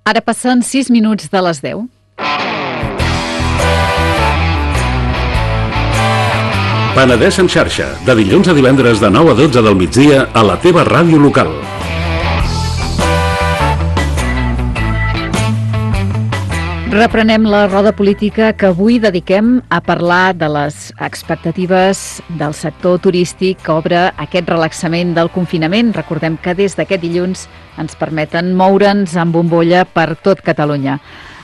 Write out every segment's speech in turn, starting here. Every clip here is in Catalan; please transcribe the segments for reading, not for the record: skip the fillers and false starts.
Ara passen 6 minuts de les 10. Penedès en xarxa, de dilluns a divendres de 9 a 12 del migdia a la teva ràdio local. Reprenem la roda política que avui dediquem a parlar de les expectatives del sector turístic que obre aquest relaxament del confinament. Recordem que des d'aquest dilluns ens permeten moure'ns amb bombolla per tot Catalunya.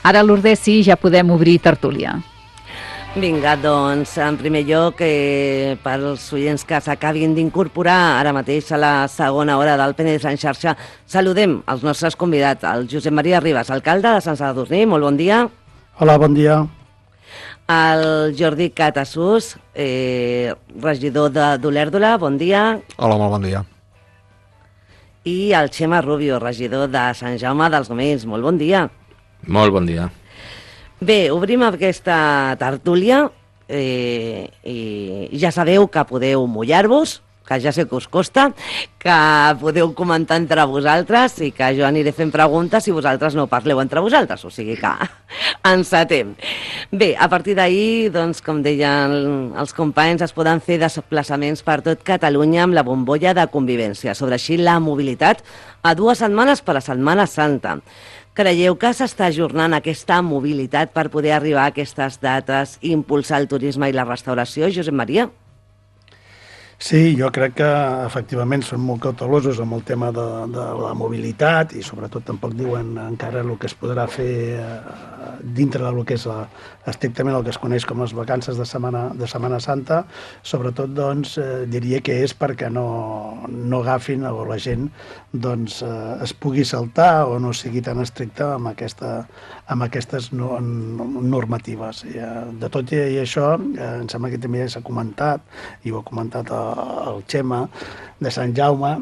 Ara, Lourdes, sí, ja podem obrir tertúlia. Vinga, doncs, en primer lloc, pels oients que s'acabin d'incorporar ara mateix a la segona hora del Penedès en xarxa, saludem els nostres convidats, el Josep Maria Ribas, alcalde de Sant Sadurní, molt bon dia. Hola, bon dia. El Jordi Catasús, regidor d'Olèrdola, bon dia. Hola, molt bon dia. I el Xema Rubio, regidor de Sant Jaume dels Domenys, molt bon dia. Molt bon dia. Bé, obrim aquesta tertúlia i ja sabeu que podeu mullar-vos, que ja sé que us costa, que podeu comentar entre vosaltres i que jo aniré fent preguntes si vosaltres no parleu entre vosaltres, o sigui que encetem. Bé, a partir d'ahir, doncs, com deien els companys, es poden fer desplaçaments per tot Catalunya amb la bombolla de convivència, sobre així la mobilitat a 2 setmanes per la Setmana Santa. Creieu que s'està ajornant aquesta mobilitat per poder arribar a aquestes dates i impulsar el turisme i la restauració, Josep Maria? Sí, jo crec que efectivament són molt cautelosos amb el tema de la mobilitat i sobretot tampoc diuen encara el que es podrà fer dintre del que és estrictament el que es coneix com les vacances de Setmana Santa. Sobretot, doncs, diria que és perquè no agafin o la gent doncs, es pugui saltar o no sigui tan estricta amb aquestes normatives. De tot i això, em sembla que també ja s'ha comentat, i ho ha comentat el Xema, de Sant Jaume.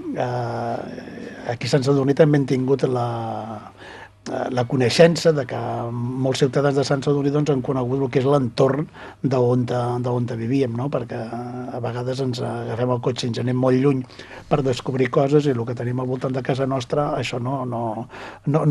Aquí a Sant Sadurní també han tingut la coneixença de que molts ciutadans de Sant Sadurní doncs, han conegut el que és l'entorn d'on vivíem, no? Perquè a vegades ens agafem el cotxe i ens anem molt lluny per descobrir coses i el que tenim al voltant de casa nostra, això no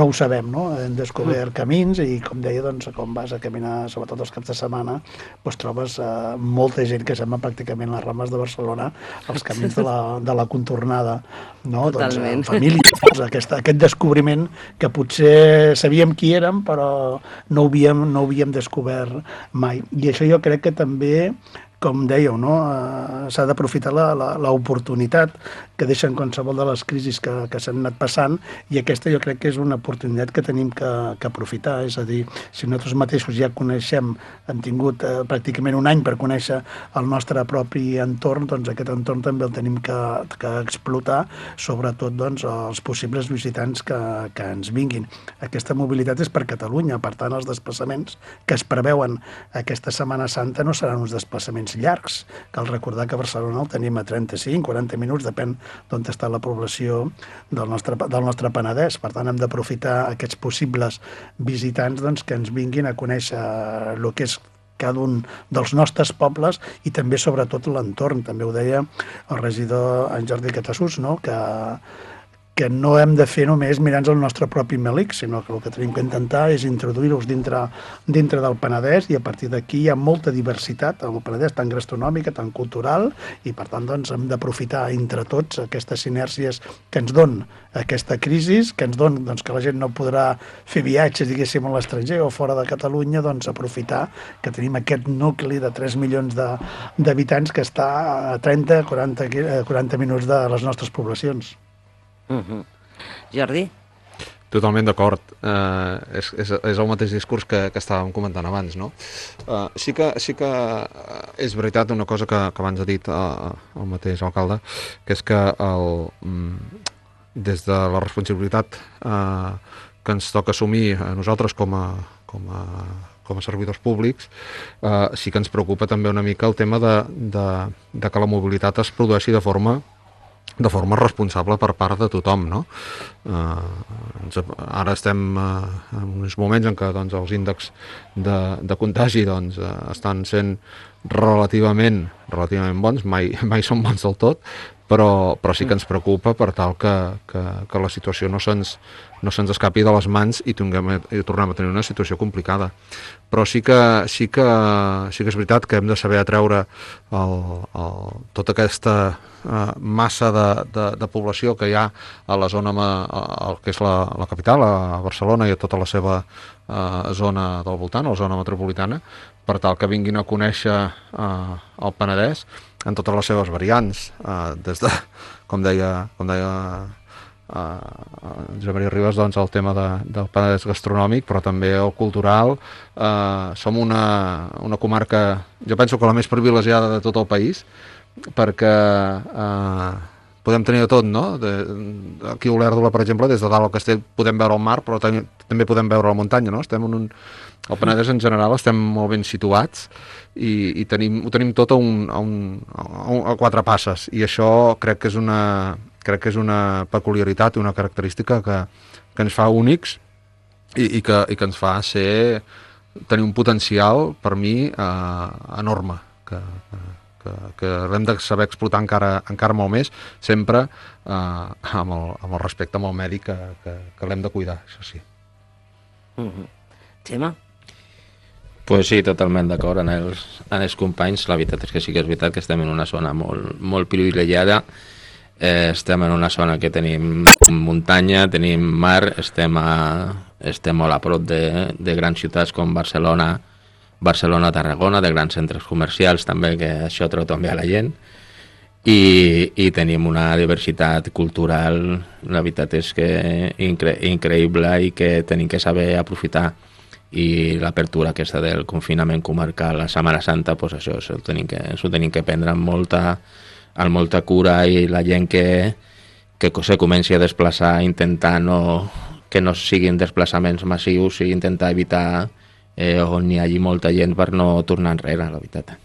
ho sabem, no? Hem descobert camins i, com deia, doncs, quan vas a caminar, sobretot els caps de setmana, doncs trobes molta gent que sembla pràcticament les Rames de Barcelona, els camins de la contornada, no? Totalment. Doncs, família, aquest descobriment que potser sabíem qui érem, però no ho havíem descobert mai. I això jo crec que també, com dèieu, no? S'ha d'aprofitar l'oportunitat que deixen qualsevol de les crisis que s'han anat passant, i aquesta jo crec que és una oportunitat que tenim que aprofitar. És a dir, si nosaltres mateixos ja coneixem, hem tingut pràcticament un any per conèixer el nostre propi entorn, doncs aquest entorn també el tenim que explotar, sobretot doncs, els possibles visitants que ens vinguin. Aquesta mobilitat és per Catalunya, per tant els desplaçaments que es preveuen aquesta Setmana Santa no seran uns desplaçaments llargs. Cal recordar que a Barcelona el tenim a 35-40 minuts, depèn d'on està la població del nostre Penedès. Per tant, hem d'aprofitar aquests possibles visitants doncs, que ens vinguin a conèixer el que és cada un dels nostres pobles i també, sobretot, l'entorn. També ho deia el regidor en Jordi Catasús, no? que no hem de fer només mirant el nostre propi melic, sinó que el que tenim que intentar és introduir-los dintre del Penedès, i a partir d'aquí hi ha molta diversitat al Penedès, tant gastronòmica, tant cultural, i per tant doncs, hem d'aprofitar entre tots aquestes sinèrgies que ens don aquesta crisi, que ens don doncs, que la gent no podrà fer viatges, diguéssim, a l'estranger o fora de Catalunya, doncs aprofitar que tenim aquest nucli de 3 milions d'habitants que està a 30-40 minuts de les nostres poblacions. Jordi? Totalment d'acord. És el mateix discurs que estàvem comentant abans, no? Sí que és veritat una cosa que abans ha dit el mateix alcalde, que és que des de la responsabilitat que ens toca assumir a nosaltres com a servidors públics, sí que ens preocupa també una mica el tema de que la mobilitat es produeixi de forma responsable per part de tothom, no? Ara estem en uns moments en què doncs, els índexs de contagi doncs, estan sent relativament bons, mai són bons del tot, però sí que ens preocupa per tal que la situació no se'ns escapi de les mans i tornem a tenir una situació complicada. Però sí que és veritat que hem de saber atreure tota aquesta massa de població que hi ha a la zona, que és la capital, a Barcelona, i a tota la seva zona del voltant, a la zona metropolitana, per tal que vinguin a conèixer el Penedès en totes les seves variants, des de, com deia Josep Maria Ribas, doncs el tema del Penedès gastronòmic, però també el cultural. Som una comarca, jo penso que la més privilegiada de tot el país, perquè podem tenir de tot, no? Aquí a Olèrdola, per exemple, des de dalt al castell podem veure el mar, però també podem veure la muntanya, no? El Penedès en general estem molt ben situats i ho tenim tot a 4 passes, i això crec que és una peculiaritat i una característica que ens fa únics i que ens fa tenir un potencial, per mi, enorme, que l'hem de saber explotar encara molt més, sempre amb el respecte amb el medi que l'hem de cuidar, això sí. Gemma? Pues sí, totalment d'acord amb els companys. La veritat és que sí que és veritat que estem en una zona molt, molt privilegiada. Estem en una zona que tenim muntanya, tenim mar, estem molt a prop de grans ciutats com Barcelona, Tarragona, de grans centres comercials també, que això treu també a la gent, i tenim una diversitat cultural, la veritat és que increïble, i que tenim que saber aprofitar. I l'apertura aquesta del confinament comarcal a Setmana Santa, doncs això s'ho tenim que prendre amb molta cura, i la gent que se comenci a desplaçar, intentar que no siguin desplaçaments massius, i intentar evitar on hi hagi molta gent per no tornar enrere, la veritat.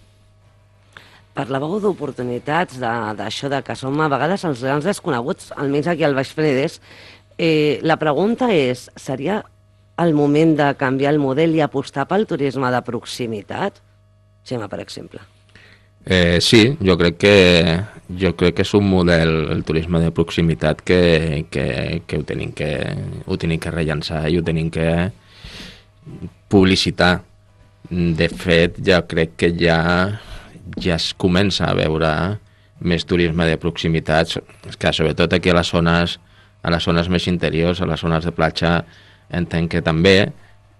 Parlàveu d'oportunitats, d'això que som a vegades els grans desconeguts, almenys aquí al Baix Penedès. La pregunta és, seria el moment de canviar el model i apostar pel turisme de proximitat? Gemma, per exemple. Sí, jo crec que és un model, el turisme de proximitat, que ho tenim que rellançar i ho tenim que publicitar. De fet, ja crec que ja es comença a veure més turisme de proximitat, que sobretot aquí a les zones més interiors, a les zones de platja, entenc que també,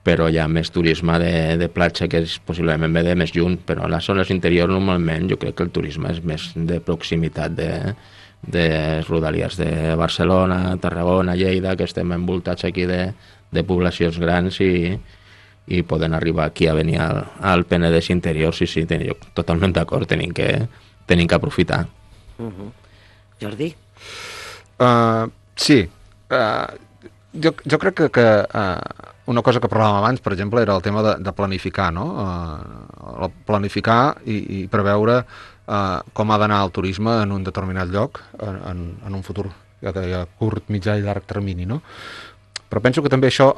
però hi ha més turisme de platja, que és possiblement ve de més lluny, però a les zones interiors normalment jo crec que el turisme és més de proximitat, de rodalies de Barcelona, Tarragona, Lleida, que estem envoltats aquí de poblacions grans, i poden arribar aquí a venir al Penedès interior. Sí, jo totalment d'acord, tenim que aprofitar. Jordi? Sí, jo crec que una cosa que parlàvem abans, per exemple, era el tema de planificar, no? Planificar i preveure com ha d'anar el turisme en un determinat lloc en un futur, ja deia, curt, mitjà i llarg termini, no? Però penso que també això,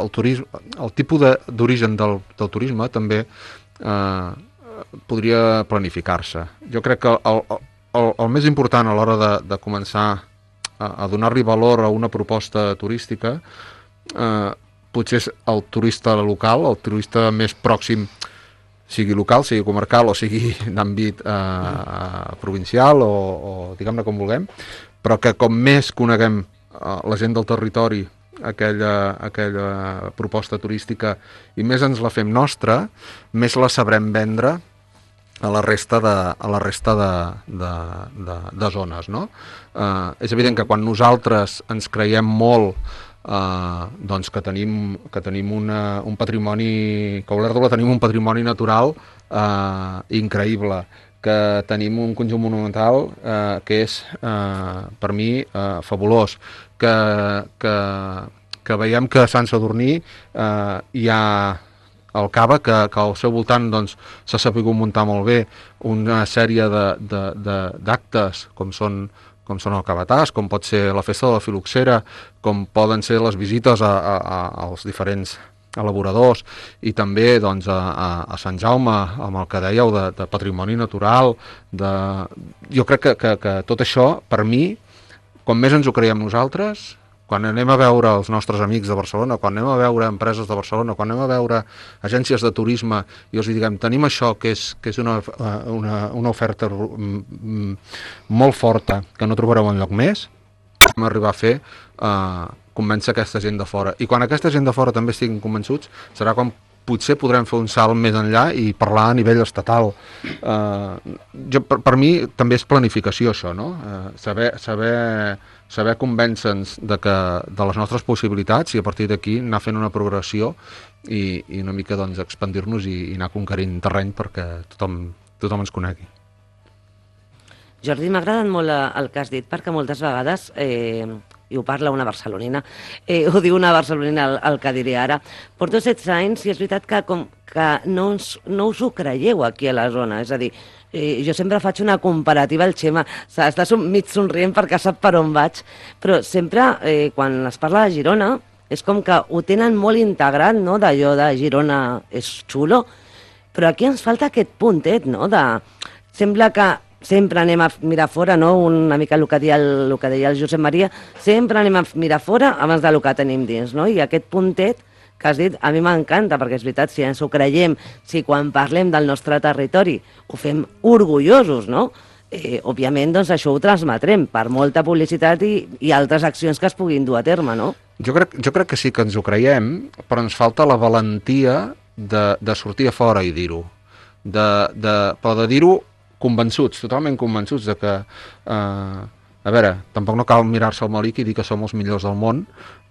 el turisme, el tipus d'origen del turisme també podria planificar-se. Jo crec que el més important a l'hora de començar a donar-li valor a una proposta turística potser és el turista local, el turista més pròxim, sigui local, sigui comarcal o sigui d'àmbit provincial o diguem-ne com vulguem, però que com més coneguem la gent del territori aquella proposta turística i més ens la fem nostra, més la sabrem vendre a la resta de zones, no? És evident que quan nosaltres ens creiem molt doncs que tenim un patrimoni, que a Olèrdola tenim un patrimoni natural increïble, que tenim un conjunt monumental que és per mi fabulós, que veiem que a Sant Sadurní hi ha el Cava, que al seu voltant s'ha sabut muntar molt bé una sèrie d'actes com són el Cavatàs, com pot ser la festa de la Filoxera, com poden ser les visites als diferents elaboradors, i també doncs, a Sant Jaume, amb el que dèieu de patrimoni natural, jo crec que tot això, per mi, quan més ens ho creiem nosaltres, quan anem a veure els nostres amics de Barcelona, quan anem a veure empreses de Barcelona, quan anem a veure agències de turisme i els diguem, tenim això que és una oferta molt forta que no trobareu enlloc més, vam arribar a fer convèncer aquesta gent de fora. I quan aquesta gent de fora també estiguin convençuts, serà quan potser podrem fer un salt més enllà i parlar a nivell estatal. Per mi també és planificació, això, no? Saber convèncer-nos de les nostres possibilitats i a partir d'aquí anar fent una progressió i una mica doncs, expandir-nos i anar conquerint terreny perquè tothom ens conegui. Jordi, m'ha agradat molt el que has dit perquè moltes vegades, i ho parla una barcelonina, ho diu una barcelonina el que diré ara, porto 16 anys i és veritat que no us ho creieu aquí a la zona, és a dir, jo sempre faig una comparativa al Xema, està mig somrient perquè sap per on vaig, però sempre quan es parla de Girona és com que ho tenen molt integrat, no?, d'allò de Girona és xulo, però aquí ens falta aquest puntet, no?, sembla que sempre anem a mirar fora, no?, una mica el que deia el Josep Maria, sempre anem a mirar fora abans del que tenim dins, no?, i aquest puntet que has dit, a mi m'encanta, perquè és veritat, si ens ho creiem, si quan parlem del nostre territori ho fem orgullosos, no?, òbviament, doncs això ho transmetrem per molta publicitat i altres accions que es puguin dur a terme, no? Jo crec que sí que ens ho creiem, però ens falta la valentia de sortir a fora i dir-ho. Però de dir-ho convençuts, totalment convençuts de que, a veure, tampoc no cal mirar-se al melic i dir que som els millors del món,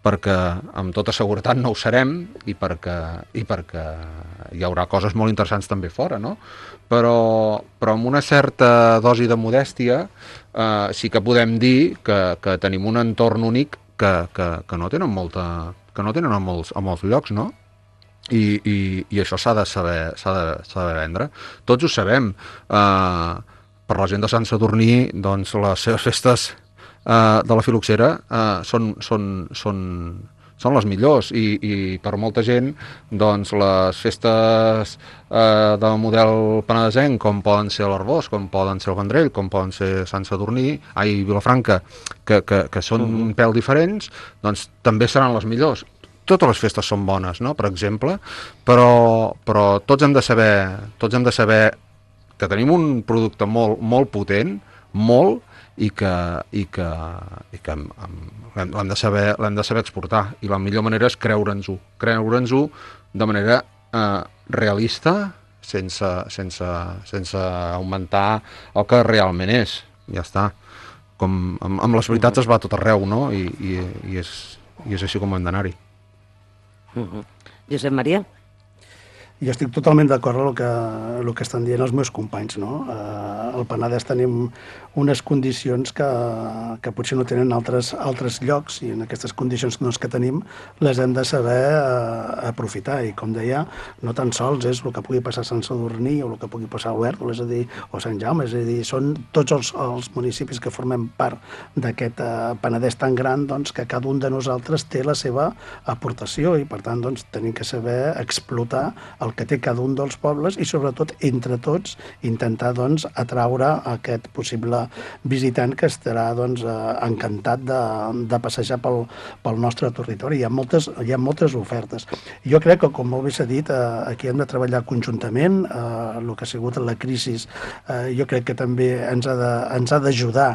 perquè amb tota seguretat no ho serem i perquè hi haurà coses molt interessants també fora, no? Però amb una certa dosi de modèstia sí que podem dir que tenim un entorn únic que no tenen a molts llocs, no? I això s'ha de saber vendre. Tots ho sabem. Per la gent de Sant Sadurní, doncs les seves festes de la Filoxera són les millors i per molta gent doncs les festes del model penedesenc, com poden ser l'Arbós, com poden ser el Vendrell, com poden ser Sant Sadurní, Vilafranca, que són un pèl diferents, doncs també seran les millors. Totes les festes són bones, no?, per exemple, però tots hem de saber que tenim un producte molt potent, molt, i que l'hem de saber exportar, i la millor manera és creure'ns-ho de manera realista, sense augmentar el que realment és. Ja està. Com amb les veritats es va a tot arreu, no? I és així com hem d'anar-hi. Josep Maria? Jo estic totalment d'acord amb el que estan dient els meus companys, no? Al Penedès tenim unes condicions que potser no tenen altres llocs, i en aquestes condicions que tenim les hem de saber aprofitar, i com deia, no tan sols és el que pugui passar a Sant Sadurní o el que pugui passar a Huerta, és a dir, o Sant Jaume, és a dir, són tots els municipis que formem part d'aquest Penedès tan gran, doncs, que cada un de nosaltres té la seva aportació, i per tant doncs tenim que saber explotar el que té cada un dels pobles i sobretot entre tots intentar doncs atraure aquest possible visitant que estarà doncs encantat de passejar pel nostre territori. Hi ha moltes ofertes. Jo crec que, com molt bé s'ha dit, aquí hem de treballar conjuntament. El que ha sigut la crisi jo crec que també ens ha d'ajudar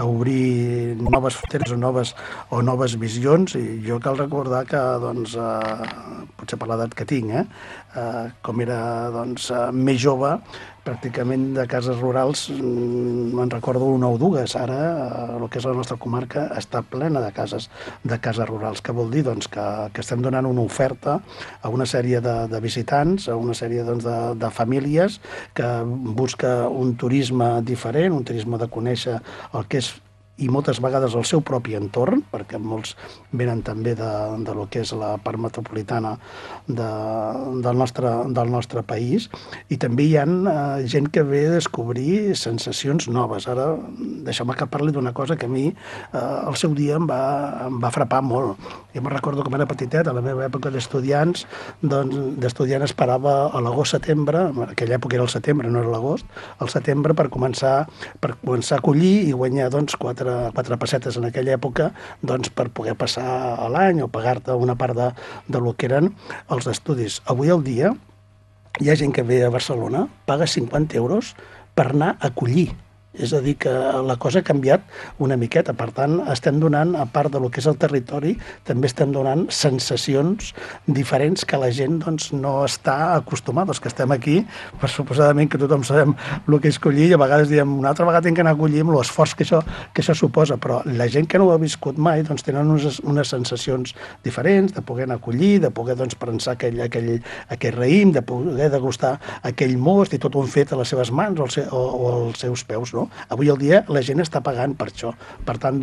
a obrir noves fronteres o noves visions, i jo cal recordar que doncs, potser per l'edat que tinc, com era doncs, més jove, pràcticament de cases rurals me'n recordo una o dues. Ara el que és la nostra comarca està plena de cases rurals. Què vol dir? Doncs que estem donant una oferta a una sèrie de visitants, a una sèrie doncs, de famílies que busca un turisme diferent, un turisme de conèixer el que és i moltes vegades el seu propi entorn, perquè molts venen també de lo que és la part metropolitana del nostre país, i també hi ha gent que ve a descobrir sensacions noves. Ara, deixeu-me que parli d'una cosa que a mi al seu dia em va frapar molt. Jo me'n recordo com era petitet, a la meva època d'estudiants, d'estudiant esperava a l'agost-setembre, en aquella època era el setembre, no era l'agost, al setembre per començar a collir i guanyar 4 pessetes en aquella època per poder passar l'any o pagar-te una part de lo que eren els estudis. Avui al dia hi ha gent que ve a Barcelona, paga 50 euros per anar a collir. És a dir, que la cosa ha canviat una miqueta. Per tant, estem donant, a part del que és el territori, també estem donant sensacions diferents que la gent no està acostumada. Els que estem aquí, per suposadament que tothom sabem el que és collir, i a vegades diem, una altra vegada tinc que anar a collir amb l'esforç que això suposa, però la gent que no ho ha viscut mai tenen unes sensacions diferents, de poder anar a collir, de poder prensar aquell raïm, de poder degustar aquell most, i tot ho han fet a les seves mans o als seus peus, no? Avui al dia la gent està pagant per això. Per tant,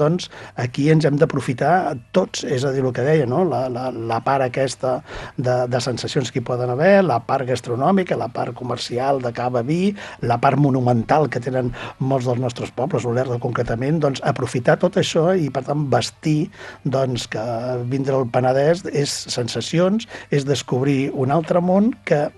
aquí ens hem d'aprofitar tots, és a dir, el que deia, no? La part aquesta de sensacions que hi poden haver, la part gastronòmica, la part comercial de cava, vi, la part monumental que tenen molts dels nostres pobles, Olèrdola concretament, aprofitar tot això i, per tant, vestir que vindre al Penedès és sensacions, és descobrir un altre món que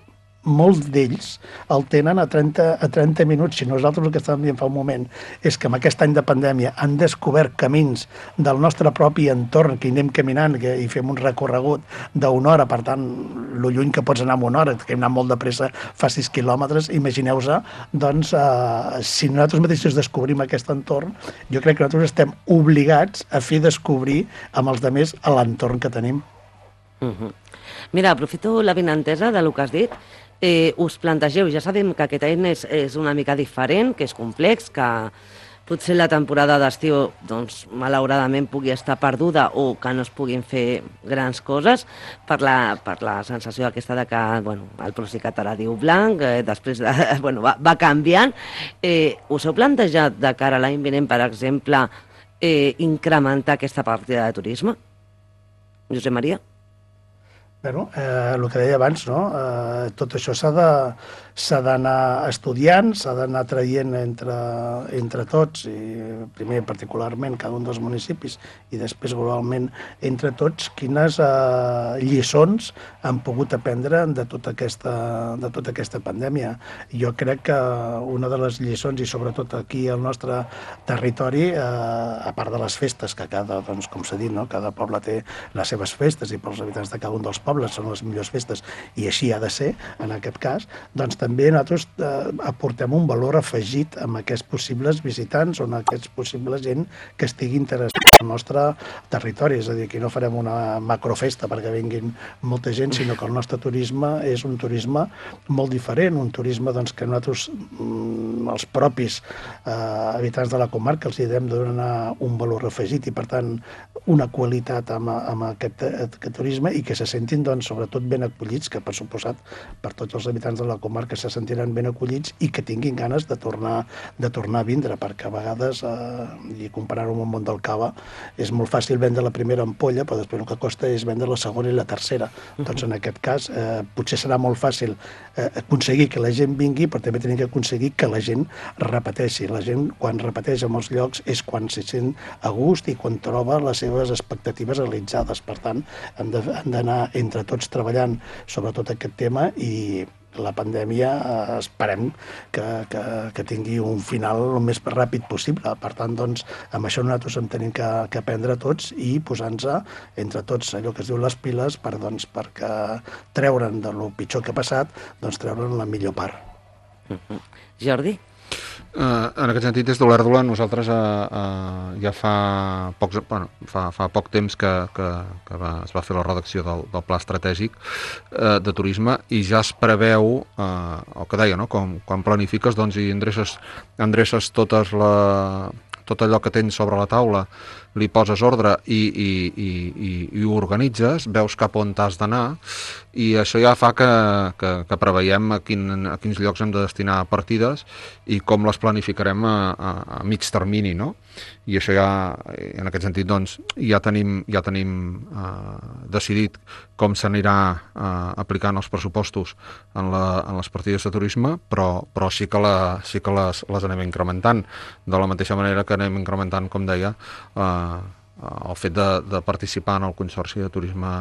molts d'ells el tenen a 30 minuts. Si nosaltres el que estàvem dient fa un moment és que amb aquest any de pandèmia han descobert camins del nostre propi entorn, que hi anem caminant i fem un recorregut d'una hora, per tant, lo lluny que pots anar amb una hora, que hem anat molt de pressa, fa 6 quilòmetres, imagineu-vos, si nosaltres mateixos descobrim aquest entorn, jo crec que nosaltres estem obligats a fer descobrir amb els altres a l'entorn que tenim. Mira, aprofito la vinentesa del que has dit. Us plantegeu, ja sabem que aquest any és una mica diferent, que és complex, que potser la temporada d'estiu, malauradament pugui estar perduda o que no es puguin fer grans coses per la sensació aquesta de que el Procicat ara diu blanc, després va canviant. Us heu plantejat de cara a l'any vinent, per exemple, incrementar aquesta partida de turisme? Josep Maria? Bueno, el que deia abans, no? Tot això s'ha d'anar estudiant, s'ha d'anar traient entre tots, i primer particularment cada un dels municipis i després globalment entre tots, quines lliçons han pogut aprendre de tota aquesta pandèmia. Jo crec que una de les lliçons, i sobretot aquí al nostre territori, a part de les festes, que com s'ha dit, cada poble té les seves festes i pels habitants de cada un dels pobles són les millors festes, i així ha de ser en aquest cas, també nosaltres aportem un valor afegit amb aquests possibles visitants o amb aquests possibles gent que estigui interessada al nostre territori. És a dir, que no farem una macrofesta perquè vinguin molta gent, sinó que el nostre turisme és un turisme molt diferent, un turisme que nosaltres, els propis habitants de la comarca, els hem de donar un valor afegit i, per tant, una qualitat amb aquest turisme, i que se sentin sobretot ben acollits, que per suposat per tots els habitants de la comarca se sentiran ben acollits i que tinguin ganes de tornar a vindre, perquè a vegades, i comparant-ho amb el món del cava, és molt fàcil vendre la primera ampolla, però després el que costa és vendre la segona i la tercera. Doncs en aquest cas potser serà molt fàcil aconseguir que la gent vingui, però també tenim que aconseguir que la gent repeteixi. La gent, quan repeteix en els llocs, és quan se sent a gust i quan troba les seves expectatives realitzades. Per tant, hem d'anar entre tots treballant sobre tot aquest tema, i la pandèmia esperem que tingui un final el més ràpid possible. Per tant, amb això nosaltres en tenim que aprendre tots i posar-nos entre tots allò que es diu les piles perquè treure'n de lo pitjor que ha passat, treure'n la millor part. Jordi? En aquest sentit, des d'Olèrdola, nosaltres ja fa poc temps que es va fer la redacció del Pla Estratègic de Turisme, i ja es preveu el que deia, no? Quan planifiques i endreces tot allò que tens sobre la taula li poses ordre i ho organitzes, veus cap on t'has d'anar, i això ja fa que preveiem a quins llocs hem de destinar partides i com les planificarem a mig termini, no? I això ja, en aquest sentit, doncs, ja tenim decidit com s'anirà aplicant els pressupostos en les partides de turisme, però sí que les anem incrementant, de la mateixa manera que anem incrementant, com deia, el fet de participar en el Consorci de Turisme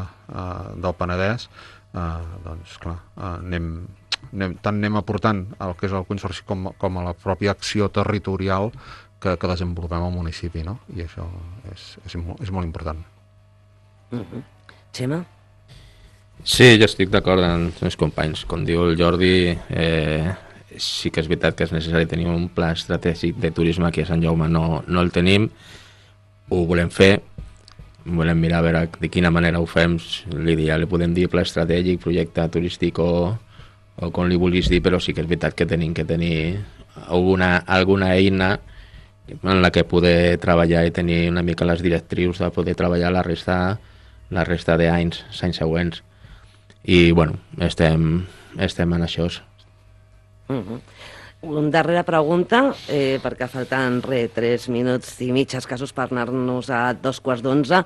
del Penedès. Doncs clar, tant anem aportant el que és el Consorci com a la pròpia acció territorial que desenvolupem al municipi, no? I això és molt important. Xema? Sí, jo estic d'acord amb els companys. Com diu el Jordi, sí que és veritat que és necessari tenir un pla estratègic de turisme. Aquí a Sant Jaume no el tenim, ho volem fer, volem mirar a veure de quina manera ho fem. L'ideal li podem dir pla estratègic, projecte turístic o com li vulguis dir, però sí que és veritat que tenim que tenir alguna eina en la que poder treballar i tenir una mica les directrius de poder treballar la resta d'anys següents. I, bueno, estem en això. Una darrera pregunta, perquè falten 3 minuts i mig escassos per anar-nos a 2:15.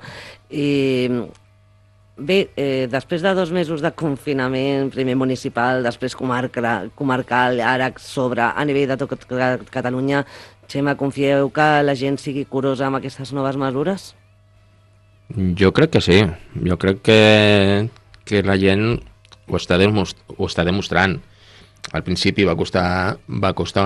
Bé, després de 2 mesos de confinament, primer municipal, després comarcal, ara a nivell de tot Catalunya, Xema, confieu que la gent sigui curosa amb aquestes noves mesures? Jo crec que sí. Jo crec que la gent ho està demostrant. Al principi va costar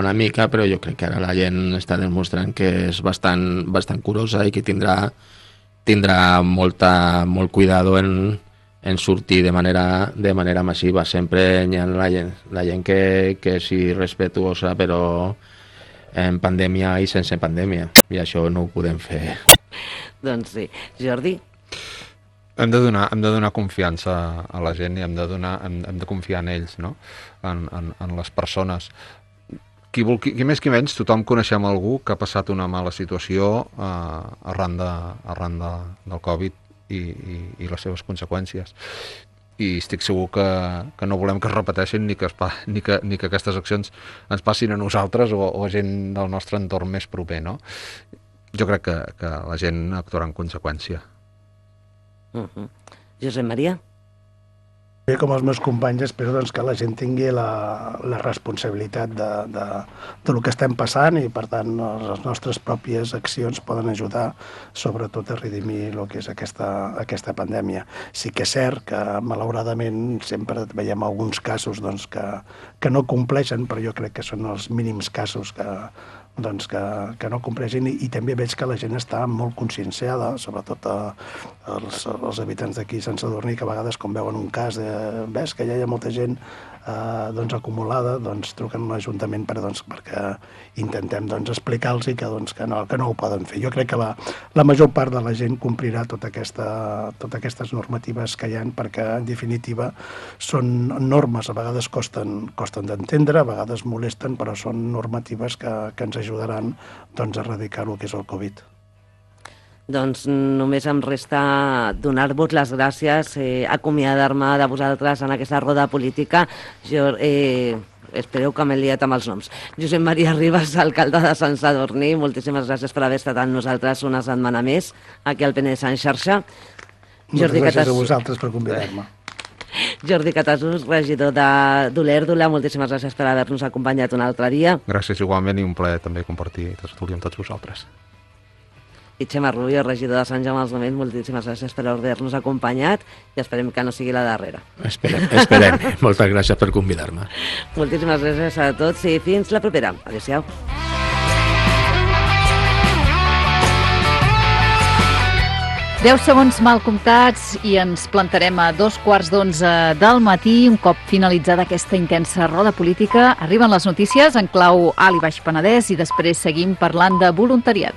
una mica, però jo crec que ara la gent està demostrant que és bastant curosa i que tindrà molt cuidado en sortir de manera massiva. Sempre hi ha la gent que sí respetuosa, però en pandèmia i sense pandèmia, i això no ho podem fer. Doncs sí. Jordi? Hem de donar confiança a la gent i hem de confiar en ells, no? En les persones. Qui més qui menys, tothom coneixem algú que ha passat una mala situació arran del Covid i les seves conseqüències. I estic segur que no volem que es repeteixin ni que aquestes accions ens passin a nosaltres o a gent del nostre entorn més proper, no? Jo crec que la gent actuarà en conseqüència. Josep Maria? Com els meus companys, espero que la gent tingui la responsabilitat de lo que estem passant i, per tant, les nostres pròpies accions poden ajudar, sobretot, a redimir el que és aquesta pandèmia. Sí que és cert que, malauradament, sempre veiem alguns casos que no compleixen, però jo crec que són els mínims casos que no compleixin, i també veig que la gent està molt conscienciada, sobretot els habitants d'aquí Sant Sadurní, que a vegades, com veuen un cas, ves que ja hi ha molta gent acumulada, truquen a l'Ajuntament perquè intentem explicar-los que no ho poden fer. Jo crec que la major part de la gent complirà totes aquestes normatives que hi ha, perquè en definitiva són normes, a vegades costen d'entendre, a vegades molesten, però són normatives que ens ajudaran a erradicar el que és el Covid. Doncs només em resta donar-vos les gràcies, acomiadar-me de vosaltres en aquesta roda política. Jo espereu que m'he liat amb els noms. Josep Maria Ribas, alcalde de Sant Sadurní, moltíssimes gràcies per haver estat amb nosaltres una setmana més aquí al Penedès en xarxa. Moltes gràcies a vosaltres per convidar-me. Jordi Catasús, regidor d'Olèrdola, moltíssimes gràcies per haver-nos acompanyat un altre dia. Gràcies igualment, i un plaer també compartir tertúlia amb tots vosaltres. I Xema Rubio, regidor de Sant Jaume dels Domenys, moltíssimes gràcies per haver-nos acompanyat i esperem que no sigui la darrera. Esperem. Moltes gràcies per convidar-me. Moltíssimes gràcies a tots i fins la propera. Adéu-siau. Deu segons mal comptats i ens plantarem a 11:15 del matí. Un cop finalitzada aquesta intensa roda política, arriben les notícies en clau Alt i Baix Penedès i després seguim parlant de voluntariat.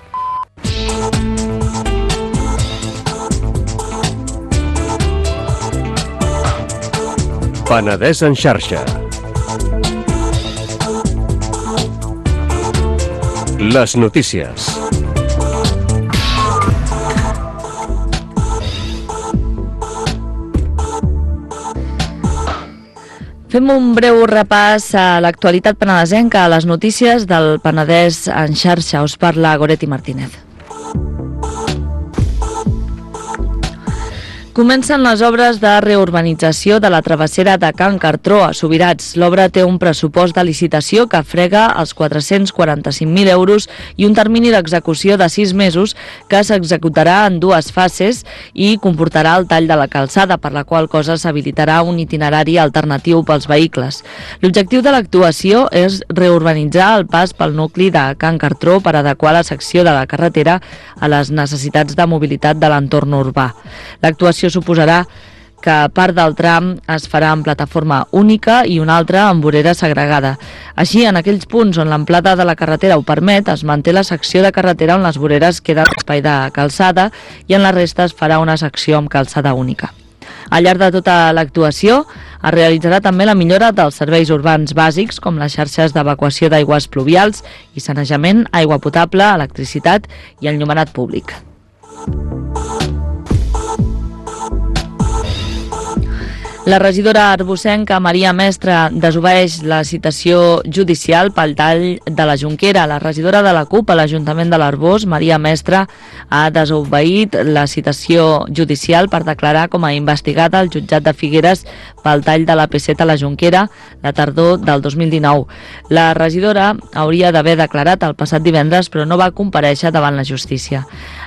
Penedès en xarxa. Les notícies. Fem un breu repàs a l'actualitat penedesenca, a les notícies del Penedès en xarxa. Us parla Goretti Martínez. Comencen les obres de reurbanització de la travessera de Can Cartró a Subirats. L'obra té un pressupost de licitació que frega els 445.000 euros i un termini d'execució de 6 mesos que s'executarà en 2 fases i comportarà el tall de la calçada, per la qual cosa s'habilitarà un itinerari alternatiu pels vehicles. L'objectiu de l'actuació és reurbanitzar el pas pel nucli de Can Cartró per adequar la secció de la carretera a les necessitats de mobilitat de l'entorn urbà. L'actuació suposarà que part del tram es farà en plataforma única i una altra en vorera segregada. Així, en aquells punts on l'amplada de la carretera ho permet, es manté la secció de carretera on les voreres queden espai de calçada i en la resta es farà una secció amb calçada única. Al llarg de tota l'actuació es realitzarà també la millora dels serveis urbans bàsics com les xarxes d'evacuació d'aigües pluvials i sanejament, aigua potable, electricitat i enllumenat públic. La regidora arbocenca Maria Mestre desobeeix la citació judicial pel tall de la Jonquera. La regidora de la CUP a l'Ajuntament de l'Arboç, Maria Mestre, ha desobeït la citació judicial per declarar com a investigada al jutjat de Figueres pel tall de la P7 a la Jonquera la tardor del 2019. La regidora hauria d'haver declarat el passat divendres, però no va comparèixer davant la justícia.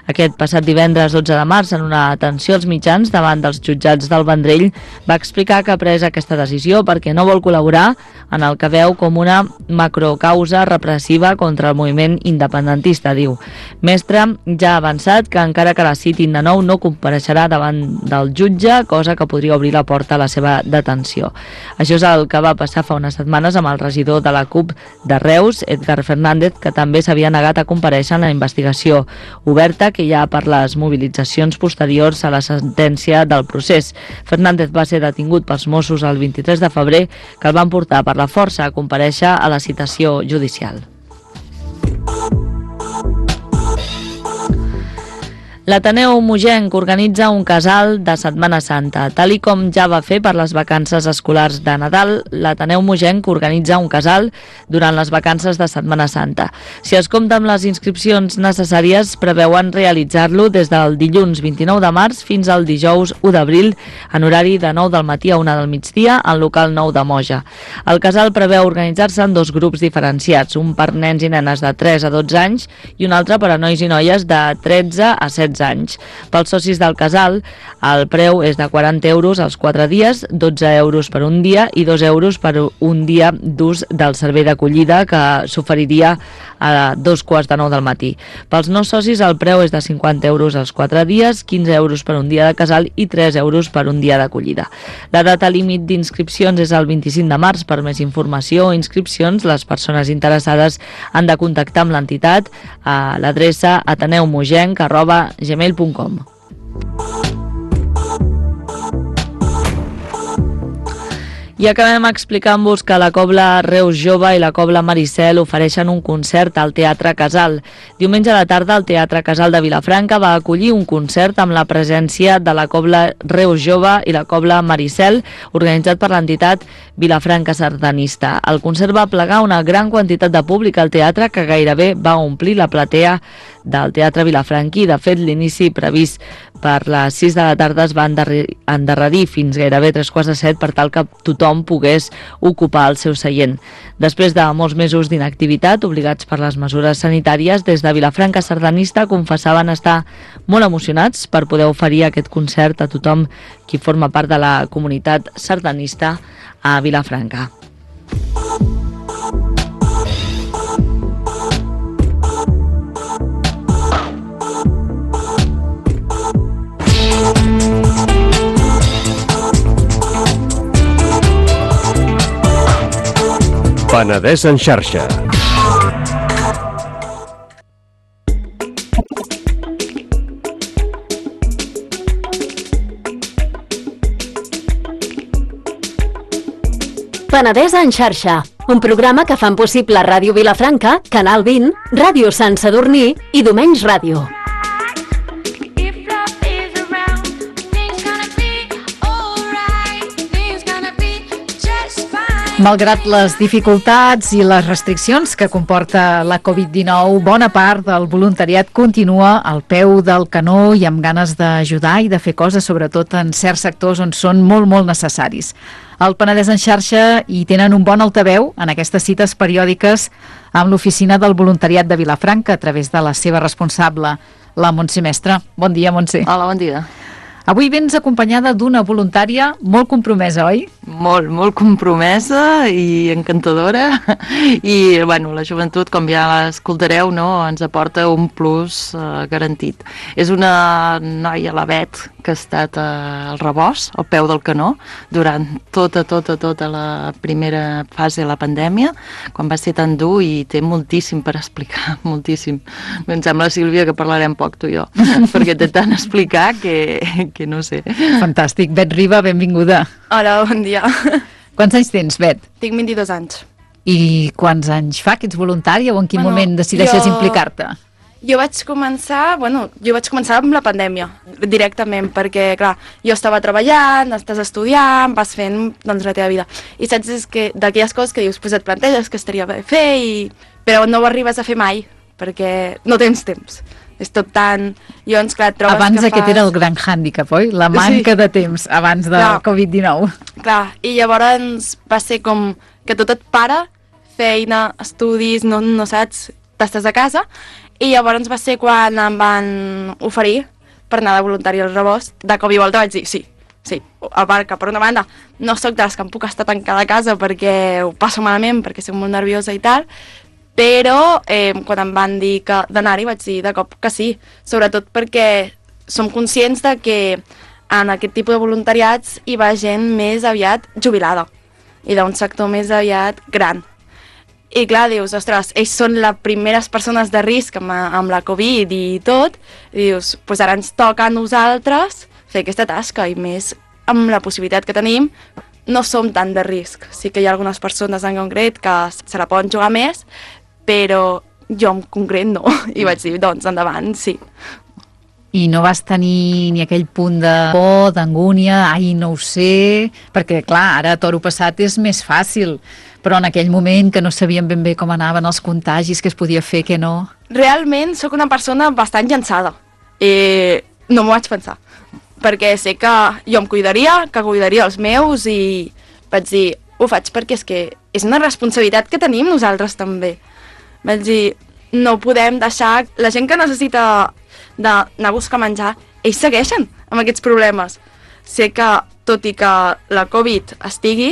Aquest passat divendres 12 de març, en una atenció als mitjans davant dels jutjats del Vendrell, va explicar que ha pres aquesta decisió perquè no vol col·laborar en el que veu com una macrocausa repressiva contra el moviment independentista, diu. Mestre ja ha avançat que encara que la citin de nou no compareixerà davant del jutge, cosa que podria obrir la porta a la seva detenció. Això és el que va passar fa unes setmanes amb el regidor de la CUP de Reus, Edgar Fernández, que també s'havia negat a comparèixer en la investigació oberta que hi ha per les mobilitzacions posteriors a la sentència del procés. Fernández va ser detingut pels Mossos el 23 de febrer, que el van portar per la força a comparèixer a la citació judicial. L'Ateneu Mogenc organitza un casal de Setmana Santa. Tal i com ja va fer per les vacances escolars de Nadal, l'Ateneu Mogenc organitza un casal durant les vacances de Setmana Santa. Si es compta amb les inscripcions necessàries, preveuen realitzar-lo des del dilluns 29 de març fins al dijous 1 d'abril, en horari de 9 del matí a 1 del migdia, al local 9 de Moja. El casal preveu organitzar-se en 2 grups diferenciats, un per nens i nenes de 3 a 12 anys i un altre per a nois i noies de 13 a 16 anys. Pels socis del casal, el preu és de 40 euros als 4 dies, 12 euros per un dia i 2 euros per un dia d'ús del servei d'acollida que s'oferiria a 2:45 del matí. Pels no socis, el preu és de 50 euros als 4 dies, 15 euros per un dia de casal i 3 euros per un dia d'acollida. La data límit d'inscripcions és el 25 de març. Per més informació o inscripcions, les persones interessades han de contactar amb l'entitat a l'adreça ateneumogenc@gmail.com. I acabem explicant-vos que la Cobla Reus Jove i la Cobla Maricel ofereixen un concert al Teatre Casal. Diumenge a la tarda el Teatre Casal de Vilafranca va acollir un concert amb la presència de la Cobla Reus Jove i la Cobla Maricel, organitzat per l'entitat Vilafranca Sardanista. El concert va plegar una gran quantitat de públic al teatre que gairebé va omplir la platea del Teatre Vilafranquí. De fet, l'inici previst per les 6 de la tarda es va endarrerir fins gairebé 6:45 per tal que tothom pogués ocupar el seu seient. Després de molts mesos d'inactivitat, obligats per les mesures sanitàries, des de Vilafranca Sardanista confessaven estar molt emocionats per poder oferir aquest concert a tothom qui forma part de la comunitat sardanista a Vilafranca. Penedès en xarxa. Penedès en xarxa, un programa que fan possible Ràdio Vilafranca, Canal 20, Ràdio Sant Sadurní i Domenys Ràdio. Just fine. Malgrat les dificultats i les restriccions que comporta la Covid-19, bona part del voluntariat continua al peu del canó i amb ganes d'ajudar i de fer coses, sobretot en certs sectors on són molt, molt necessaris. Al Penedès en xarxa hi tenen un bon altaveu en aquestes cites periòdiques amb l'oficina del voluntariat de Vilafranca a través de la seva responsable, la Montse Mestre. Bon dia, Montse. Hola, bon dia. Avui vens acompanyada d'una voluntària molt compromesa, oi? Molt compromesa i encantadora i, bueno, la joventut, com ja l'escoltareu, no, ens aporta un plus garantit. És una noia, la Bet, que ha estat al rebost, al peu del canó, durant tota la primera fase de la pandèmia, quan va ser tan dur, i té moltíssim per explicar, moltíssim. Em sembla, Sílvia, que parlarem poc tu i jo, perquè té tant a explicar que no sé. Fantàstic. Bet Riba, benvinguda. Hola, bon dia. Quants anys tens, Bet? Tinc 22 anys. I quants anys fa que ets voluntària o en quin moment decideixes implicar-te? Jo vaig començar amb la pandèmia, directament, perquè, clar, jo estava treballant, estàs estudiant, vas fent, doncs, la teva vida. I saps, és que d'aquelles coses que dius, pues et planteges que estaria bé fer, però no ho arribes a fer mai, perquè no tens temps. És tot tan... Llavors, clar, trobes abans que aquest era el gran hàndicap, oi? La manca de temps abans de Covid-19. Clar, i llavors va ser com que tot et para, feina, estudis, no saps, t'estàs a casa, i llavors va ser quan em van oferir per anar de voluntari al rebost. De cop i volta vaig dir sí. A part que, per una banda, no sóc de les que em puc estar tancada a casa perquè ho passo malament, perquè soc molt nerviosa i tal, però quan em van dir d'anar-hi vaig dir de cop que sí, sobretot perquè som conscients de que en aquest tipus de voluntariats hi va gent més aviat jubilada i d'un sector més aviat gran. I clar, dius, ostres, ells són les primeres persones de risc amb la Covid i tot, i dius, doncs ara ens toca a nosaltres fer aquesta tasca, i més amb la possibilitat que tenim, no som tan de risc. Sí que hi ha algunes persones en concret que se la poden jugar més, però jo en concret no, i vaig dir, doncs, endavant, sí. I no vas tenir ni aquell punt de por, d'angúnia, ai, no ho sé, perquè, clar, ara a toro passat és més fàcil, però en aquell moment que no sabíem ben bé com anaven els contagis, què es podia fer, què no... Realment sóc una persona bastant llançada, i no m'ho vaig pensar, perquè sé que jo em cuidaria, que cuidaria els meus, i vaig dir, ho faig perquè és que és una responsabilitat que tenim nosaltres també. Vaig dir, no podem deixar... La gent que necessita d'anar a buscar menjar, ells segueixen amb aquests problemes. Sé que, tot i que la Covid estigui,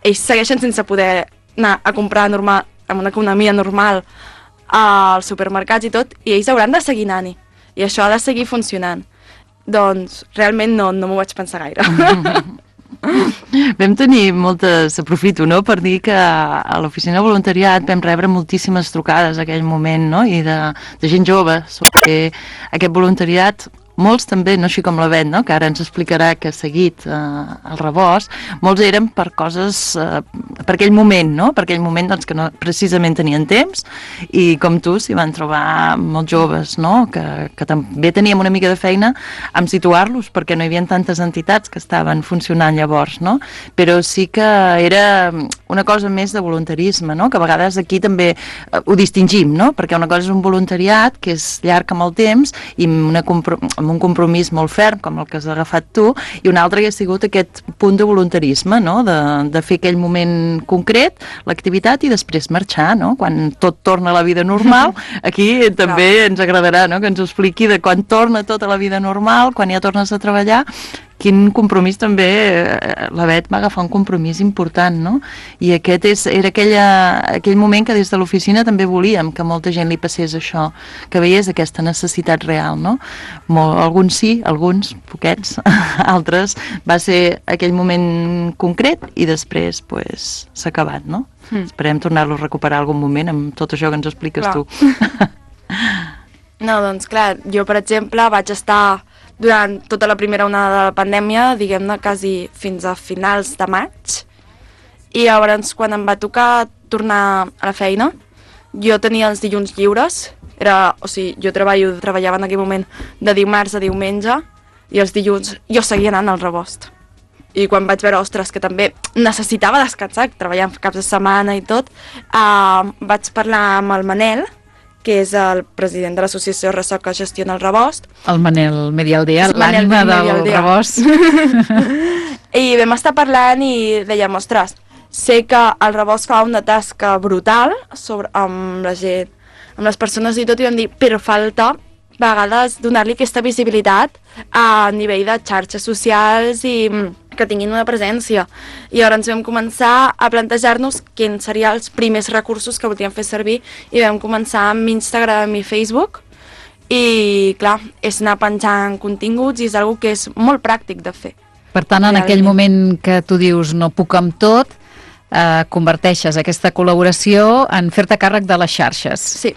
ells segueixen sense poder anar a comprar normal, amb una economia normal als supermercats i tot, i ells hauran de seguir anant-hi. I això ha de seguir funcionant. Doncs realment no m'ho vaig pensar gaire. Vam tenir moltes, aprofito, no?, per dir que a l'oficina de voluntariat vam rebre moltíssimes trucades en aquell moment, no?, i de gent jove sobre aquest voluntariat. Molts també, no així com la Bet, no?, que ara ens explicarà que ha seguit el rebost, molts eren per coses, per aquell moment, no?, per aquell moment doncs, que no precisament tenien temps, i com tu s'hi van trobar molts joves, no?, que també teníem una mica de feina amb situar-los, perquè no hi havia tantes entitats que estaven funcionant llavors, no?, però sí que era una cosa més de voluntarisme, no?, que a vegades aquí també ho distingim, no?, perquè una cosa és un voluntariat que és llarg amb el temps i amb un compromís molt ferm, com el que has agafat tu, i un altre que ha sigut aquest punt de voluntarisme, no?, de fer aquell moment concret, l'activitat, i després marxar, no?, quan tot torna a la vida normal. Aquí també ens agradarà, no?, que ens ho expliqui de quan torna tota la vida normal, quan ja tornes a treballar, quin compromís també, la Bet va agafar un compromís important, no? I aquest era aquell moment que des de l'oficina també volíem que molta gent li passés això, que veiés aquesta necessitat real, no? Alguns sí, alguns, poquets, altres, va ser aquell moment concret i després s'ha acabat, no? Esperem tornar-lo a recuperar algun moment amb tot això que ens expliques tu. No, doncs clar, jo per exemple vaig estar durant tota la primera onada de la pandèmia, diguem-ne, quasi fins a finals de maig, i llavors quan em va tocar tornar a la feina, jo tenia els dilluns lliures, jo treballava en aquell moment de dimarts a diumenge, i els dilluns jo seguia anant al rebost. i quan vaig veure, ostres, que també necessitava descansar, treballant caps de setmana i tot, vaig parlar amb el Manel, que és el president de l'associació Ressò que gestiona el Rebost. El Manel Medialdea, l'ànima del Rebost. I vam estar parlant i dèiem, ostres, sé que el Rebost fa una tasca brutal amb la gent, amb les persones i tot, i vam dir, però falta a vegades donar-li aquesta visibilitat a nivell de xarxes socials i que tinguin una presència. I llavors vam començar a plantejar-nos quins serien els primers recursos que volíem fer servir i vam començar amb Instagram i Facebook i, clar, és anar penjant continguts i és una que és molt pràctic de fer. Per tant, en aquell moment que tu dius no puc amb tot, converteixes aquesta col·laboració en fer-te càrrec de les xarxes. Sí.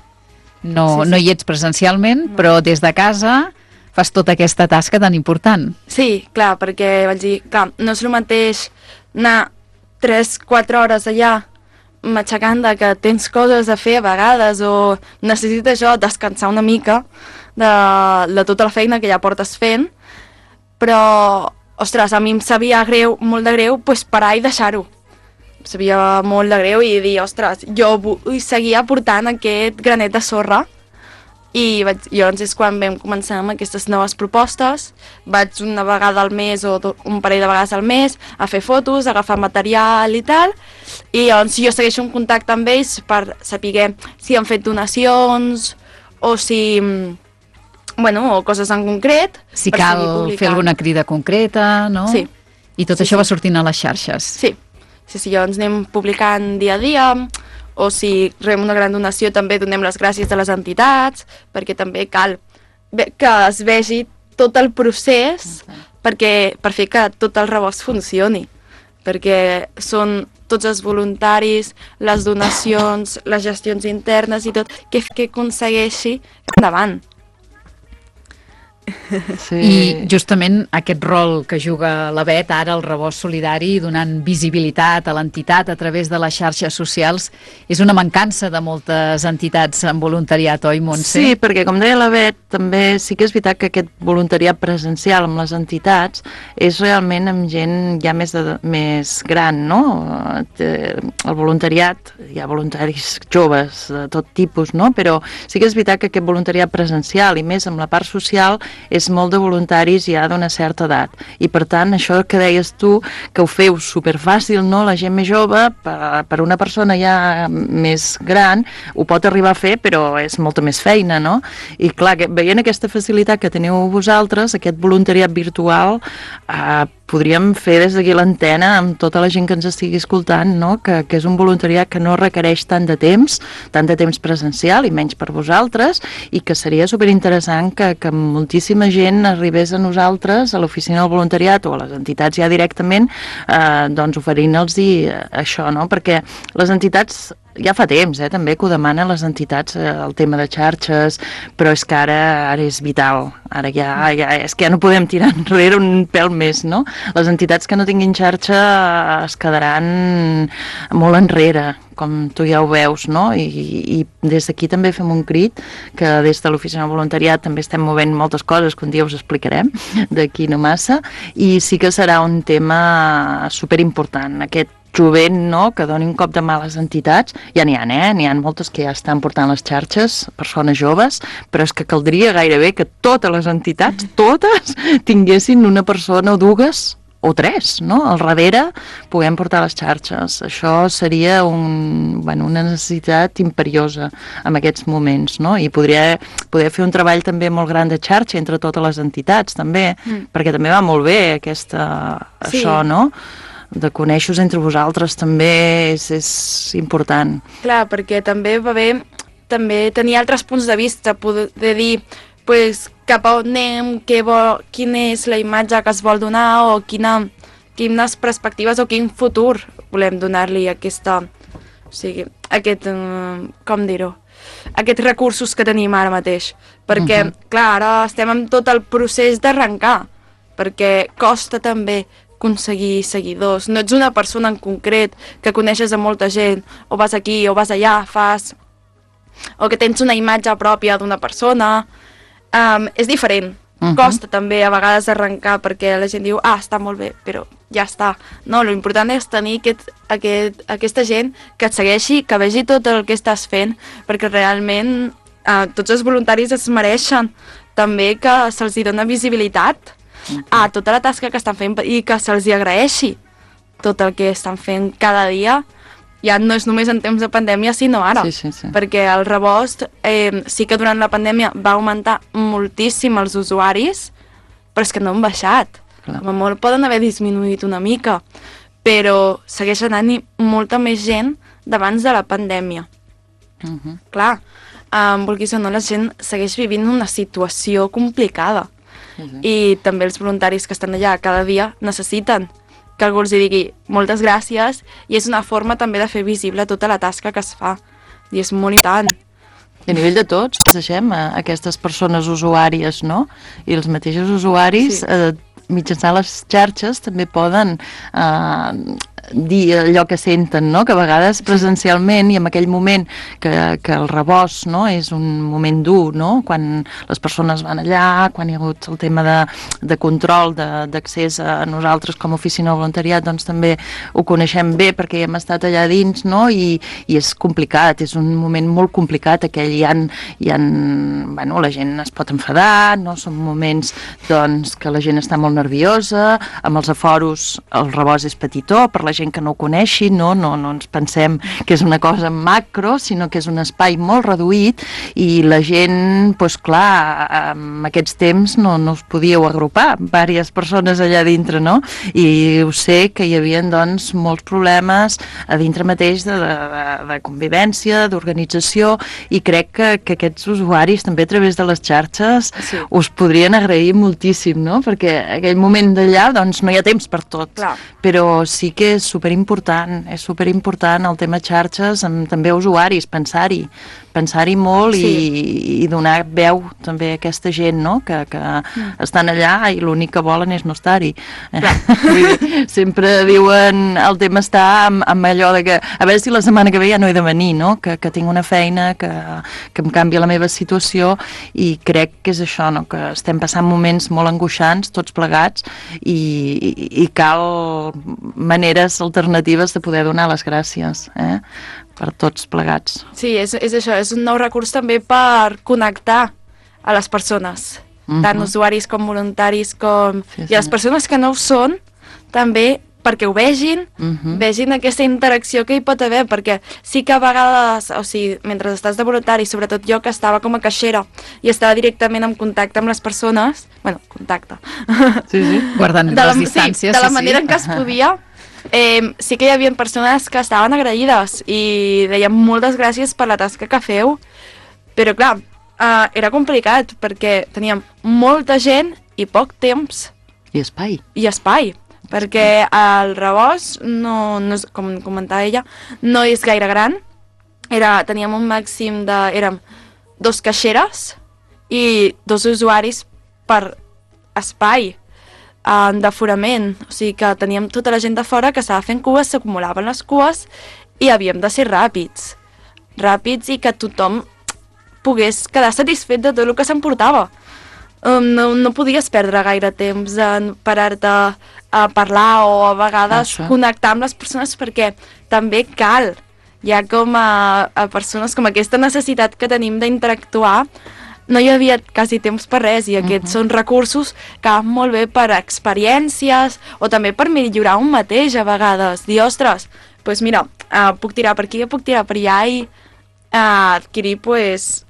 No hi ets presencialment, però des de casa fas tota aquesta tasca tan important. Sí, clar, perquè vaig dir, clar, no és el mateix anar 3-4 hores allà matxacant que tens coses a fer a vegades o necessites això, descansar una mica de tota la feina que ja portes fent, però, ostres, a mi em sabia molt de greu parar i deixar-ho. Em sabia molt de greu i dir, ostres, jo vull seguir aportant aquest granet de sorra. I llavors és quan vam començar amb aquestes noves propostes. Vaig una vegada al mes o un parell de vegades al mes a fer fotos, a agafar material i tal. I llavors jo segueixo en contacte amb ells per saber si han fet donacions o si... o coses en concret. Si cal fer alguna crida concreta, no? Sí. I tot això va sortint a les xarxes. Sí, llavors anem publicant dia a dia, o si rebem una gran donació també donem les gràcies a les entitats, perquè també cal que es vegi tot el procés per fer que tot el Rebost funcioni, perquè són tots els voluntaris, les donacions, les gestions internes i tot, que aconsegueixi endavant. Sí. I justament aquest rol que juga la Bet, ara el Rebost Solidari, donant visibilitat a l'entitat a través de les xarxes socials, és una mancança de moltes entitats en voluntariat, oi, Montse? Sí, perquè com deia la Bet, també sí que és veritat que aquest voluntariat presencial amb les entitats és realment amb gent ja més gran, no? El voluntariat, hi ha voluntaris joves de tot tipus, no? Però sí que és veritat que aquest voluntariat presencial i més amb la part social és molt de voluntaris ja d'una certa edat i per tant això que deies tu que ho feu superfàcil, no? La gent més jove per una persona ja més gran ho pot arribar a fer però és molta més feina, no? I clar, veient aquesta facilitat que teniu vosaltres, aquest voluntariat virtual podríem fer des d'aquí l'antena amb tota la gent que ens estigui escoltant, no? Que és un voluntariat que no requereix tant de temps presencial i menys per vosaltres i que seria superinteressant que moltíssima gent arribés a nosaltres, a l'oficina del voluntariat o a les entitats ja directament, doncs oferint-los això, no? Perquè les entitats ja fa temps, també, que ho demanen les entitats, el tema de xarxes, però és que ara és vital. Ara ja és que ja no podem tirar enrere un pèl més, no? Les entitats que no tinguin xarxa es quedaran molt enrere, com tu ja ho veus, no? I des d'aquí també fem un crit, que des de l'Oficina de Voluntariat també estem movent moltes coses que un dia us explicarem, d'aquí no massa, i sí que serà un tema superimportant, aquest jovent, no?, que doni un cop de mà a les entitats. Ja n'hi ha, n'hi ha moltes que ja estan portant les xarxes, persones joves, però és que caldria gairebé que totes les entitats, totes, tinguessin una persona o dues o tres, no?, al darrere puguem portar les xarxes. Això seria una necessitat imperiosa en aquests moments, no?, i poder fer un treball també molt gran de xarxa entre totes les entitats, també, perquè també va molt bé això, no?, de conèixer-vos entre vosaltres també és important. Clar, perquè també va bé tenir altres punts de vista, poder dir cap a on anem, quina és la imatge que es vol donar o quines perspectives o quin futur volem donar-li aquests recursos que tenim ara mateix. Perquè, clar, ara estem en tot el procés d'arrencar, perquè costa també aconseguir seguidors. No ets una persona en concret que coneixes a molta gent, o vas aquí o vas allà, o que tens una imatge pròpia d'una persona. És diferent. Costa també a vegades arrencar perquè la gent diu, està molt bé, però ja està. No, l'important és tenir aquesta gent que et segueixi, que vegi tot el que estàs fent, perquè realment tots els voluntaris es mereixen també que se'ls dona visibilitat a tota la tasca que estan fent i que se'ls agraeixi tot el que estan fent cada dia. Ja no és només en temps de pandèmia, sinó ara. Sí. Perquè el rebost sí que durant la pandèmia va augmentar moltíssim els usuaris, però és que no han baixat. Com a molt poden haver disminuït una mica, però segueix anant molta més gent d'abans de la pandèmia. Clar, vulguis o no, la gent segueix vivint una situació complicada. I també els voluntaris que estan allà cada dia necessiten que algú els digui moltes gràcies, i és una forma també de fer visible tota la tasca que es fa, i és molt important. I a nivell de tots, deixem aquestes persones usuàries, no? I els mateixos usuaris, mitjançant les xarxes, també poden dir allò que senten, no? Que a vegades presencialment i en aquell moment que el rebost, no? És un moment dur, no? Quan les persones van allà, quan hi ha hagut el tema de control d'accés a nosaltres com a oficina de voluntariat, doncs també ho coneixem bé perquè hem estat allà dins, no? I és complicat, és un moment molt complicat aquell, bueno, la gent es pot enfadar, no? Són moments doncs que la gent està molt nerviosa, amb els aforos el rebost és petitó, per la gent que no ho coneixi, no ens pensem que és una cosa macro, sinó que és un espai molt reduït i la gent, doncs clar, en aquests temps no us podíeu agrupar, diverses persones allà dintre, no? I ho sé que hi havia doncs molts problemes a dintre mateix de convivència, d'organització, i crec que aquests usuaris també a través de les xarxes us podrien agrair moltíssim, no? Perquè aquell moment d'allà doncs no hi ha temps per tot, però sí que és superimportant el tema xarxes amb també usuaris, pensar-hi molt i donar veu també a aquesta gent, no? Que estan allà i l'únic que volen és no estar-hi. Sempre diuen el tema està amb allò de que a veure si la setmana que ve ja no he de venir, no? Que tinc una feina que em canvia la meva situació, i crec que és això, no? Que estem passant moments molt angoixants tots plegats i cal maneres alternatives de poder donar les gràcies per tots plegats. Sí, és això, és un nou recurs també per connectar a les persones, tant usuaris com voluntaris, i a les persones que no ho són, també perquè ho vegin, vegin aquesta interacció que hi pot haver, perquè sí que a vegades, o sigui, mentre estàs de voluntari, sobretot jo que estava com a caixera i estava directament en contacte amb les persones, contacte. Guardant les distàncies. De la manera en què es podia, sí que hi havia persones que estaven agraïdes i deien moltes gràcies per la tasca que feu, però clar, era complicat perquè teníem molta gent i poc temps. I espai. Perquè el rebost, com comentava ella, no és gaire gran. Teníem un màxim érem 2 caixeres i 2 usuaris per espai d'aforament. O sigui que teníem tota la gent de fora que estava fent cues, s'acumulaven les cues i havíem de ser ràpids i que tothom pogués quedar satisfet de tot el que s'emportava. No podies perdre gaire temps en parar-te a parlar o a vegades connectar amb les persones, perquè també cal, ja com a persones com aquesta necessitat que tenim d'interactuar, no hi havia quasi temps per res, i aquests són recursos que van molt bé per experiències o també per millorar un mateix a vegades, dir, ostres, doncs mira, puc tirar per aquí, puc tirar per allà, i adquirir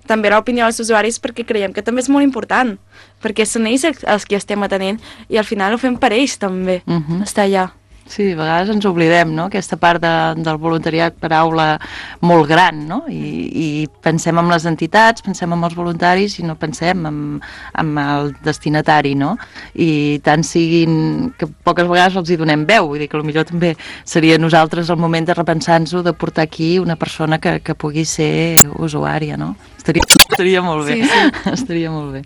també l'opinió dels usuaris, perquè creiem que també és molt important, perquè són ells els que estem atenent i al final ho fem per ells també, estar allà. Sí, a vegades ens oblidem, no?, aquesta part del voluntariat, paraula molt gran, no?, i pensem en les entitats, pensem en els voluntaris i no pensem en el destinatari, no?, i tant siguin que poques vegades els hi donem veu, vull dir que potser també seria nosaltres el moment de repensar-nos-ho, de portar aquí una persona que pugui ser usuària, no? Estaria molt bé, estaria molt bé.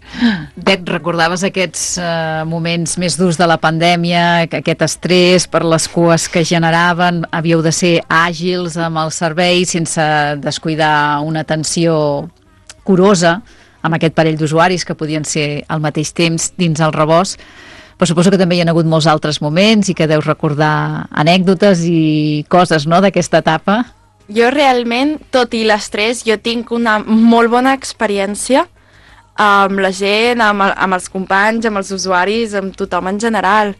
Bet, recordaves aquests moments més durs de la pandèmia, aquest estrès per les cues que generaven, havíeu de ser àgils amb el servei sense descuidar una atenció curosa amb aquest parell d'usuaris que podien ser al mateix temps dins el rebost, però suposo que també hi ha hagut molts altres moments i que deus recordar anècdotes i coses, no?, d'aquesta etapa. Jo realment, tot i l'estrès, jo tinc una molt bona experiència amb la gent, amb els companys, amb els usuaris, amb tothom en general.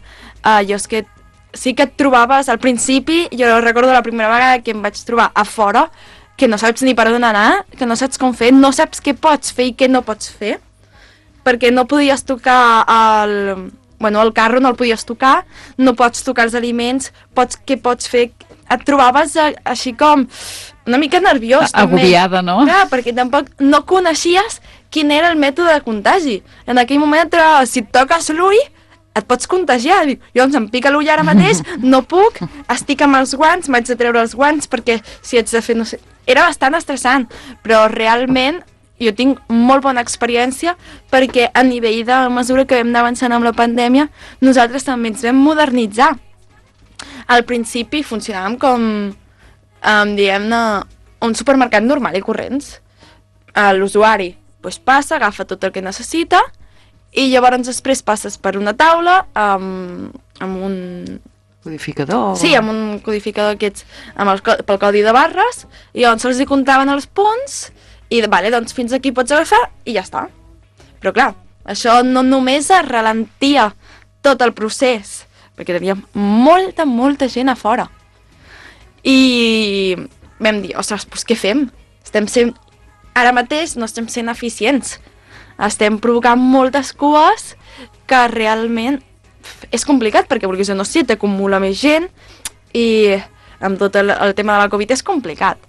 Jo és que sí que et trobaves al principi, jo recordo la primera vegada que em vaig trobar a fora, que no saps ni per on anar, que no saps com fer, no saps què pots fer i què no pots fer, perquè no podies tocar el carro no el podies tocar, no pots tocar els aliments, què pots fer? Et trobaves així com una mica nerviós. Agobiada, no? Clar, perquè tampoc no coneixies quin era el mètode de contagi. En aquell moment et trobaves, si et toques l'ull, et pots contagiar. Llavors em pica l'ull ara mateix, no puc, estic amb els guants, m'haig de treure els guants perquè si haig de fer, no sé... Era bastant estressant, però realment jo tinc molt bona experiència perquè a nivell de mesura que vam anar avançant amb la pandèmia, nosaltres també ens vam modernitzar. Al principi funcionàvem com, diguem-ne, un supermercat normal i corrents. L'usuari passa, agafa tot el que necessita i llavors després passes per una taula amb un... Codificador? Sí, amb un codificador aquests, pel codi de barres, i llavors se'ls comptaven els punts i doncs fins aquí pots agafar i ja està. Però clar, això no només es ralentia tot el procés, perquè teníem molta gent a fora. I vam dir, ostres, doncs què fem? Ara mateix no estem sent eficients. Estem provocant moltes cues que realment és complicat, perquè vulguis o no sé, t'acumula més gent i amb tot el tema de la Covid és complicat.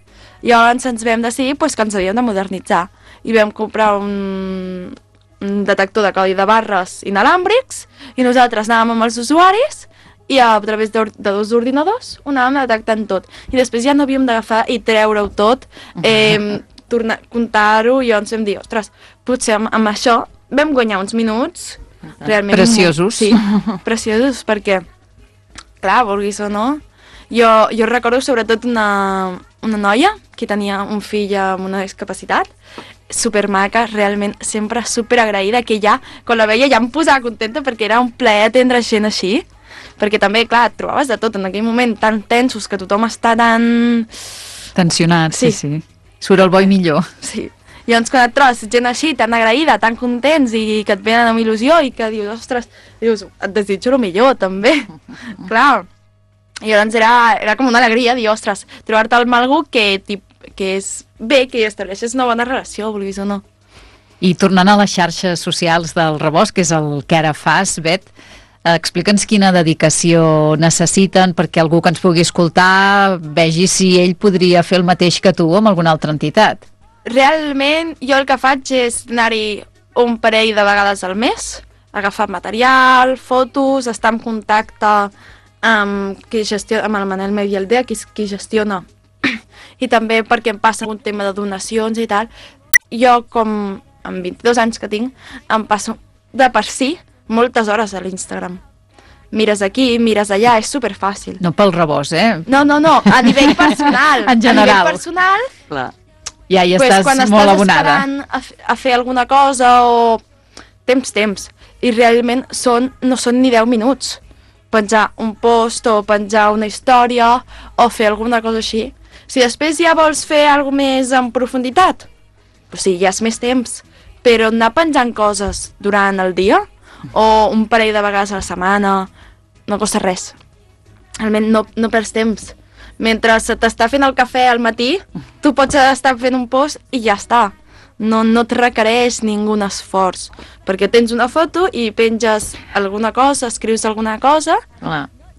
Llavors ens vam decidir que ens havíem de modernitzar i vam comprar un detector de codi de barres inalàmbrics i nosaltres anàvem amb els usuaris i a través de dos ordinadors ho anàvem detectant tot. I després ja no havíem d'agafar i treure-ho tot, comptar-ho, i llavors vam dir, ostres, potser amb això vam guanyar uns minuts realment... Preciosos. Sí, preciosos, perquè, clar, vulguis o no, jo recordo sobretot una noia que tenia un fill amb una discapacitat, supermaca, realment sempre superagraïda, que ja, quan la veia ja em posava contenta perquè era un plaer atendre gent així, perquè també, clar, et trobaves de tot en aquell moment tan tensos que tothom està tan... Tensionat, sí. Surt el bo i millor. Sí. I llavors quan et trobes gent així, tan agraïda, tan contents i que et venen amb il·lusió i que dius, ostres, et desitjo el millor també. Clar. I llavors era com una alegria dir, ostres, trobar-te amb algú que és bé, que estableixes una bona relació, vulguis o no. I tornant a les xarxes socials del Rebost, que és el que ara fas, Bet, explica'ns quina dedicació necessiten perquè algú que ens pugui escoltar vegi si ell podria fer el mateix que tu amb alguna altra entitat. Realment, jo el que faig és anar-hi un parell de vegades al mes, agafar material, fotos, estar en contacte amb el Manel Medialdea, que és qui gestiona, i també perquè em passa un tema de donacions i tal. Jo, com amb 22 anys que tinc, em passo de per si moltes hores a l'Instagram. Mires aquí, mires allà, és superfàcil. No pel Rebost, eh? No, a nivell personal. En general. A nivell personal... Clar. Ja hi estàs molt abonada. Quan estàs esperant a fer alguna cosa o... Temps. I realment no són ni 10 minuts. Penjar un post o penjar una història o fer alguna cosa així. Si després ja vols fer alguna més en profunditat, doncs sí, ja és més temps. Però anar penjant coses durant el dia o un parell de vegades a la setmana no costa res. Realment no perds temps. Mentre se t'està fent el cafè al matí, tu pots estar fent un post i ja està. No et requereix ningú esforç, perquè tens una foto i penges alguna cosa, escrius alguna cosa,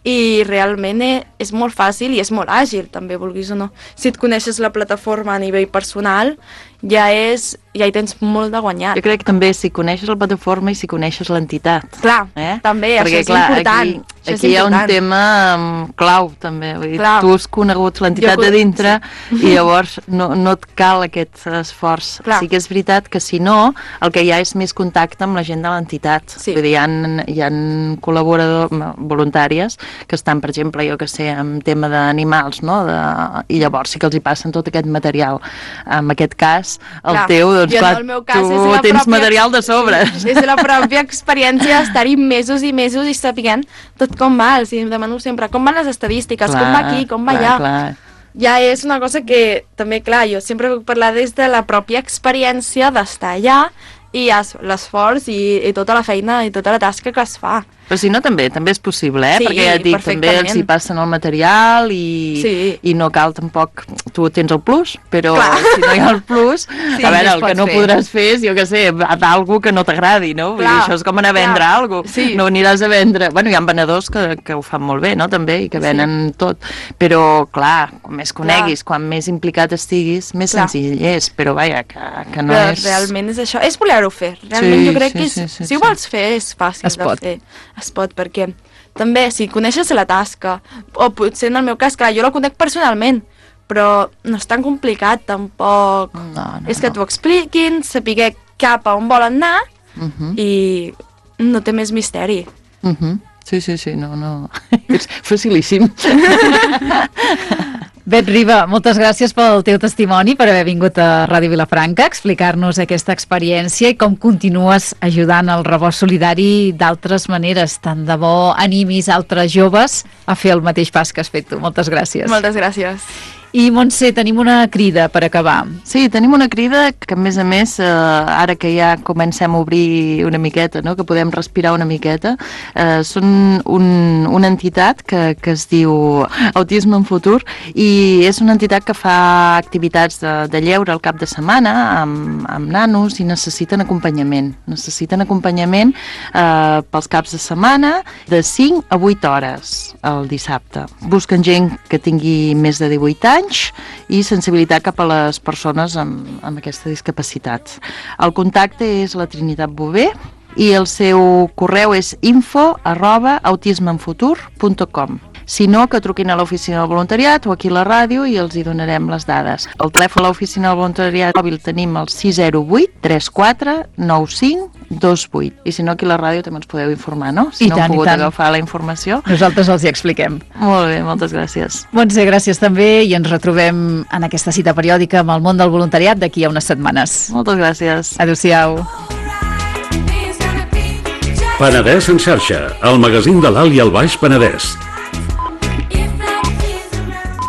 i realment és molt fàcil i és molt àgil, també, vulguis o no. Si et coneixes la plataforma a nivell personal, ja hi tens molt de guanyat. Jo crec que també si coneixes la plataforma i si coneixes l'entitat. Clar, també, perquè, això és important. Aquí hi ha un tema clau, també. Vull dir, tu has conegut l'entitat de dintre i llavors no et cal aquest esforç. Sí que és veritat que si no, el que hi ha és més contacte amb la gent de l'entitat. Vull dir, hi ha col·laboradors voluntàries que estan, per exemple, jo que sé, en tema d'animals, no? I llavors sí que els hi passen tot aquest material. En aquest cas, fas el Clar, teu, doncs jo clar, en el meu cas tu és la tens pròpia- material de sobre. És la pròpia experiència d'estar-hi mesos i mesos i sapiguent tot com va. Els demano sempre com van les estadístiques, com va aquí, com va allà. Clar. Ja és una cosa que també, clar, jo sempre puc parlar des de la pròpia experiència d'estar allà i l'esforç i tota la feina i tota la tasca que es fa. Però si no, també és possible, Sí, perquè ja et dic, també perfectament. els hi passen el material i no cal tampoc... Tu tens el plus, però si no hi ha el plus, a veure, el que no podràs fer és, jo què sé, d'algú que no t'agradi, no? Vull dir, això és com anar a vendre alguna cosa. No aniràs a vendre... Bueno, hi ha venedors que ho fan molt bé, no?, també, i que venen tot. Però, clar, quan més coneguis, quan més implicat estiguis, més senzill és, però vaja, que no és... Realment és això, és voler-ho fer. Realment jo crec que si ho vols fer és fàcil de fer. Es pot, perquè també si coneixes la tasca, o potser en el meu cas, clar, jo la conec personalment, però no és tan complicat tampoc. És que t'ho expliquin, saber cap a on volen anar i no té més misteri. Sí, no. És facilíssim. Bet Riba, moltes gràcies pel teu testimoni, per haver vingut a Ràdio Vilafranca a explicar-nos aquesta experiència i com continues ajudant el rebost solidari d'altres maneres. Tant de bo animis altres joves a fer el mateix pas que has fet tu. Moltes gràcies. Moltes gràcies. I Montse, tenim una crida per acabar. Sí, tenim una crida que a més, ara que ja comencem a obrir una miqueta, no? Que podem respirar una miqueta, són una entitat que es diu Autisme en Futur i és una entitat que fa activitats de lleure al cap de setmana amb nanos i necessiten acompanyament. Necessiten acompanyament pels caps de setmana de 5 a 8 hores el dissabte. Busquen gent que tingui més de 18 anys i sensibilitat cap a les persones amb aquesta discapacitat. El contacte és la Trinitat Bové i el seu correu és info@autismeenfutur.com. Si no, que truquin a l'oficina del voluntariat o aquí a la ràdio i els hi donarem les dades. El telèfon a l'oficina del voluntariat mòbil tenim el 608 34 95 28. I si no, aquí a la ràdio també ens podeu informar, no? Si no heu pogut agafar la informació. Nosaltres els hi expliquem. Molt bé, moltes gràcies. Montse, gràcies també i ens retrobem en aquesta cita periòdica amb el món del voluntariat d'aquí a unes setmanes. Moltes gràcies. Adéu-siau. Penedès en xarxa, el magazín de l'Alt i el Baix Penedès.